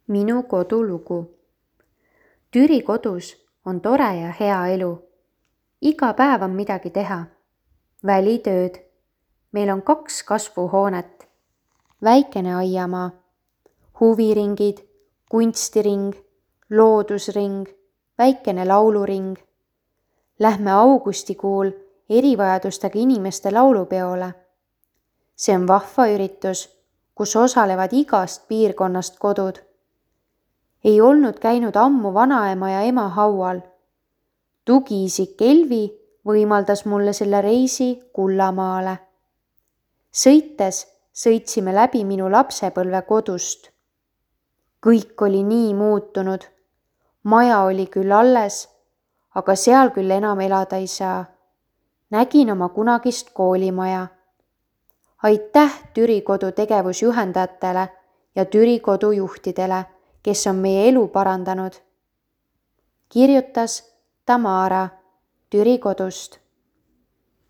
Minu kodulugu. Türi kodus on tore ja hea elu. Iga päev on midagi teha. Välitööd. Meil on 2 kasvuhoonet. Väikene aiamaa. Huviringid, kunstiring, loodusring, väikene lauluring. Lähme augustikuul erivajadustega inimeste laulupeole. See on vahva üritus, kus osalevad igast piirkonnast kodud. Ei olnud käinud ammu vanaema ja ema haual. Tugiisik Elvi võimaldas mulle selle reisi Kullamaale. Sõites sõitsime läbi minu lapsepõlve kodust. Kõik oli nii muutunud. Maja oli küll alles, aga seal küll enam elada ei saa. Nägin oma kunagist koolimaja. Aitäh Türi kodu tegevusjuhendajatele ja Türi kodu juhtidele, kes on meie elu parandanud. Kirjutas Tamara Türi kodust.